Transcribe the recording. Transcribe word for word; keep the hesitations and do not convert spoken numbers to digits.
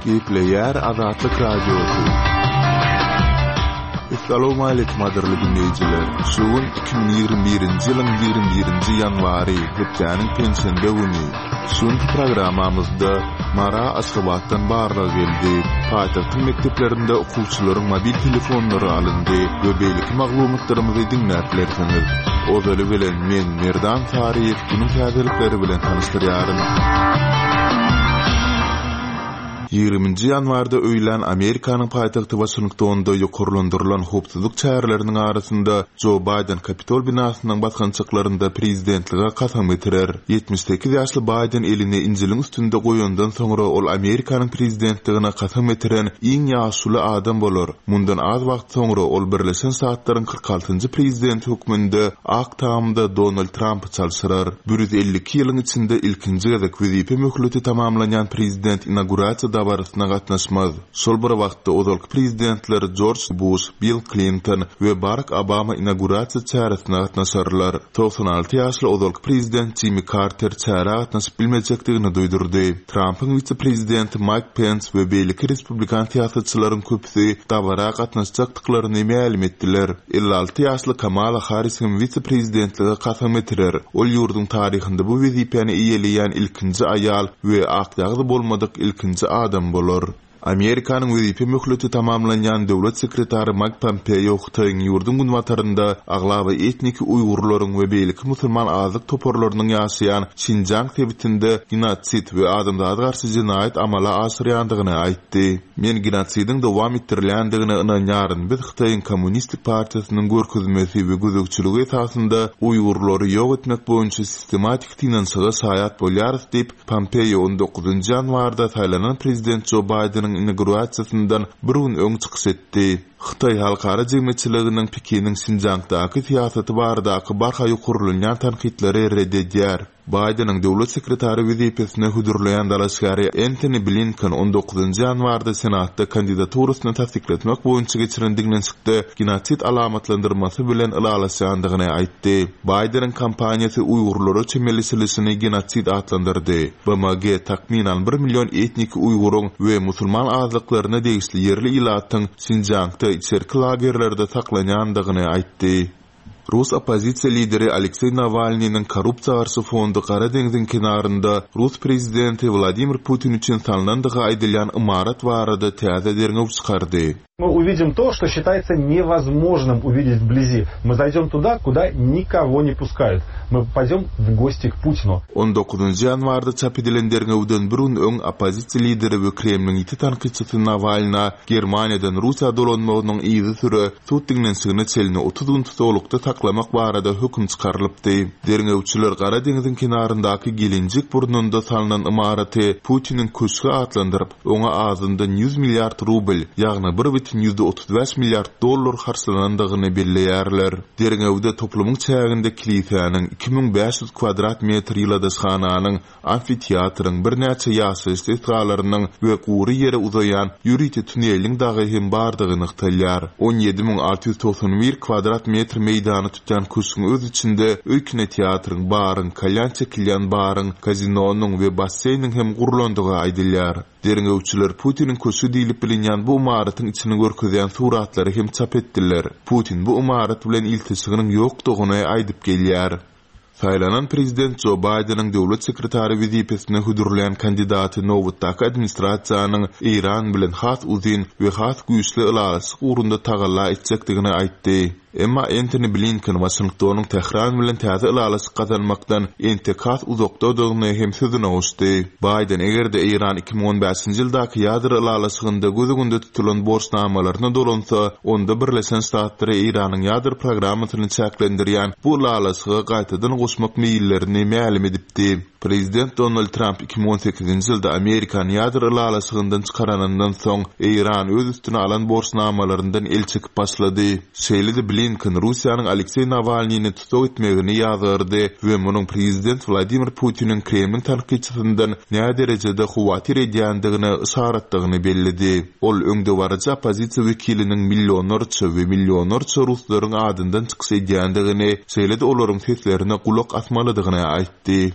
Gepleýär Azatlyk Radiosy. Essalawmaleýkim gadyrly diňleýjiler. Şu gün iki müň ýigrimi birinji ýylyň ýigrimi birinji ýanwary, hepdäniň penşenbe güni. Şu günki programmamyzda Mara Aşgabatdan barlag geldi. Paýtagtyň mekdeplerinde okuwçylaryň mobil telefonlary alyndy we beýleki maglumatlarymyzy diňläp bilersiňiz. Ozaly bilen men Merdan Saryýew günüň täzelikleri bilen tanyşdyrýaryn. Ýigriminji ýanwarda öýlän Amerikanyň paýtagty Waşingtonda ýokarlandyrylan howpsuzlyk çäreleriniň arasynda Jo Baýden Kapitol binasynyň basgançaklarynda prezidentlige kasam getirer. Ýetmiş sekiz ýaşly Baýden elini Injiliň üstünde goýandan soňra ol Amerikanyň prezidentligine kasam getiren iň ýaşuly adam bolar. Mundan az wagt soňra ol Birleşen Ştatlaryň kyrk altynjy prezidenti hökmünde Ak Tamda Donald Trampy çalşyrar. Bir ýüz elli iki ýylyň içinde ilkinji gezek wezipe möhleti tamamlanýan prezident inaugurasiýa dabarasyna gatnaşmaz. Şol bir wagtda ozalky prezidentler Jorj Buş, Bill Klinton we Barak Obama inaugurasiýa çäresine gatnaşarlar. Togsan alty ýaşly ozalky prezident Jimmi Karter çärä gatnaşyp bilmejekdigini duýdurdy. Trampyň wise-prezidenti Maýk Pens we beýleki respublikan syýasatçylaryň köpüsi dabara gatnaşjakdyklaryny mälim etdiler. Elli alty ýaşly Kamala Harris hem wise-prezidentlige kasam getirer. Ol ýurduň taryhynda bu wezipäni eýeleýän ilkinji aýal we akýagyz bolmadyk ilkinji adam bolar. Amerikanyň wezipe möhleti tamamlanýan döwlet sekretary Maýk Pompeo Hytaýyň ýurduň günbatarynda aglaba etniki uýgurlaryň we beýleki musulman azlyk toparlarynyň ýaşaýan Şinjiang sebitinde genosid we adamzada garşy jenaýat amala aşyrýandygyny aýtdy. Men genosidiň dowam etdirilýändigine ynanýaryn, biz Hytaýyň Kommunistik partiýasynyň görkezmesi we gözegçiligi esasynda uýgurlary ýok etmek boýunça sistematik synanyşyga şaýat bolýarys diýip, Pompeo on dokuzynjy ýanwarda saýlanan prezident Jo Baýdeniň inaugurasiýasyndan bir gün öň çykyş etdi. Hytaý halkara jemgyýetçiliginiň Pekiniň Şinjiangdaky syýasaty baradaky barha ýokarlanýan tankytlary red edýär. Baýdeniň döwlet sekretary wezipesine hödürleýän dalaşgäri Entoni Blinken on dokuzynjy ýanwarda Senatda kandidaturasyny tassyklatmak boýunça geçiren diňlenişikde genosid alamatlandyrmasy bilen ylalaşýandygyny aýtdy. Baýdeniň kampaniýasy uýgurlara çemeleşilişini genosid atlandyrdy. B M G takmynan bir million etniki uýguryň we musulman azlyklaryna degişli ýerli ilatyň Şinjiangda içerki lagerlerde saklanýandygyny aýtdy. Rus oppozisiýa lideri Alekseý Nawalnynyň korrupsiýa garşy fondy Gara deňziň kenarynda Rus prezidenti Wladimir Putin üçin salnandygy aýdylýan ymarat barada täze derňew çykardy. Мы увидим то, что считается невозможным увидеть вблизи. Мы зайдем туда, куда никого не пускают. Мы попадем в гости к Путину. On dokuzynjy ýanwarda çap edilen derňewden bir gün öň oppozisiýa lideri we Kremliň ýiti tankytçysy Nawalna Germaniýadan Russiýa dolanmagynyň yzy süre sud diňlenişigine çenli otuz gün tutuklukda saklamak barada höküm çykarylypdy. Derňewçiler Gara deňziň kenaryndaky Gelenjik burnunda salnan ymaraty Putiniň köşgi atlandyryp, oňa azyndan ýüz milliard rubl, ýagny bir bütin ýüzde otuz bäş milliard dollar harçlanandygyny belleýärler. Derňewde toplumyň çäginde kilisäniň iki müň bäş ýüz kvadrat metr ýyladyşhananyň, amfiteatryň, birnäçe ýaşaýyş desgalarynyň we gury ýere uzaýan ýörite tuneliň dagy hem bardygy nygtalýar. On ýedi müň alty ýüz togsan bir kvadrat metr meýdany tutýan köşgüň öz içinde öý kinoteatryň, baryň, kalýan çekilýän baryň, kazinonyň we basseýniň hem gurlandygy aýdylýar. Derňewçiler Putiniň köşgi diýlip bilinýän bu ymaratyň içini görkezýän suratlary hem çap etdiler. Putin bu ymarat bilen ilteşiginiň ýokdugyny aýdyp gelýär. Saýlanan prezident Jo Baýdeniň döwlet sekretary wezipesine hödürleýän kandidaty nobatdaky administrasiýanyň Eýran bilen has uzyn we has güýçli ylalaşyk ugrunda tagalla etjekdigini aýtdy. Emma Entoni Blinken Waşingtonyň Tähran bilen täze ylalaşyk gazanmakdan entek has uzakdadygyny hem sözüne goşdy. Baýden eger-de Eýran iki müň on bäşinji ýyldaky ýadro ylalaşygynda göz öňünde tutulan borçnamalaryna dolansa, onda Birleşen Ştatlary Eýranyň ýadro programmasyny çäklendirýän bu ylalaşyga gaýtadan goşmak meýillerini mälim edipdi. Prezident Donald Trump iki müň on sekizinji ýylda Amerikany ýadro ylalaşygyndan çykaranyndan soň Eýran öz üstüne alan borçnamalaryndan el çekip başlady. Şeýle-de Blinken Russiýanyň Alekseý Nawalnyny tutuk etmegini ýazgardy we munuň prezident Wladimir Putiniň Kremliň tankytçysyndan nä derejede howatyr edýändigine yşaratdygyny belledi. Ol öňdebaryjy oppozisiýa wekiliniň millionlarça we millionlarça ruslaryň adyndan çykyş edýändigini, şeýle-de olaryň seslerine gulak asmalydygyny aýtdy.